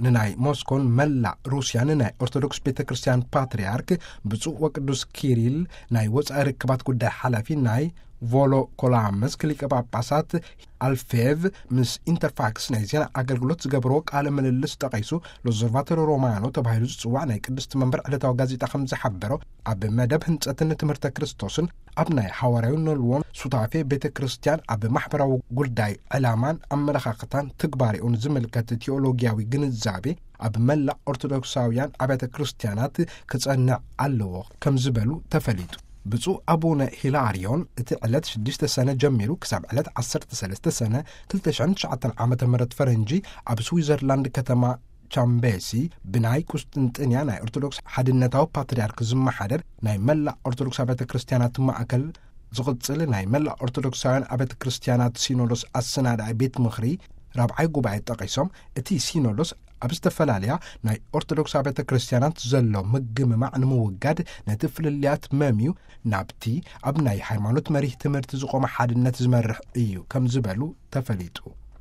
ንናይ ሞስኮን መላእ ሩስያን ናይ ኦርቶዶክስ ቤተ ክርስቲያን ፓትርያርክ ብፁዕ ወቅዱስ ኪሪል ናይ ወፃኢ ርክባት ጉዳይ ሓላፊ ናይ ቮሎኮላምስክ ሊቀ ጳጳሳት ኣልፌቭ ምስ ኢንተርፋክስ ናይ ዜና ኣገልግሎት ዝገበርዎ ቃለ ምልልስ ጠቒሱ፣ ሎዘርቫቶሪ ሮማኖ ተባሂሉ ዝጽዋዕ ናይ ቅድስቲ መንበር ዕለታዊ ጋዜጣ ከም ዝሓበሮ፣ ኣብ መደብ ህንጸትን ትምህርተ ክርስቶስን ኣብ ናይ ሓዋርያዊ ነልዎን ሱታፌ ቤተ ክርስቲያን ኣብ ማሕበራዊ ጉዳይ ዕላማን ኣመለኻኽታን ትግባሬኡን ዝምልከት ቴዎሎጊያዊ ግንዛቤ ኣብ መላእ ኦርቶዶክሳውያን ኣብያተ ክርስቲያናት ክጸንዕ ኣለዎ ከም ዝበሉ ተፈሊጡ። ብፁዕ ኣቡነ ሂላርዮን እቲ ዕለት ሽዱሽተ ሰነ ጀሚሩ ክሳብ ዕለት ዓሰርተ ሰለስተ ሰነ ክልተ ሽሕን ትሽዓተን ዓመተ ምህረት ፈረንጂ ኣብ ስዊዘርላንድ ከተማ ቻምቤሲ ብናይ ቁስጥንጥንያ ናይ ኦርቶዶክስ ሓድነታዊ ፓትርያርክ ዝመሓደር ናይ መላእ ኦርቶዶክስ ኣብያተ ክርስቲያናት ማእከል ዝቕጽል ናይ መላእ ኦርቶዶክሳውያን ኣብያተ ክርስቲያናት ሲኖዶስ ኣሰናዳኢ ቤት ምኽሪ ራብዓይ ጉባኤ ጠቒሶም፣ እቲ ሲኖዶስ ኣብ ዝተፈላለያ ናይ ኦርቶዶክስ ኣብያተ ክርስቲያናት ዘሎ ምግምማዕ ንምውጋድ ነቲ ፍልልያት መምዩ ናብቲ ኣብ ናይ ሃይማኖት መሪህ ትምህርቲ ዝቖመ ሓድነት ዝመርሕ እዩ ከም ዝበሉ ተፈሊጡ።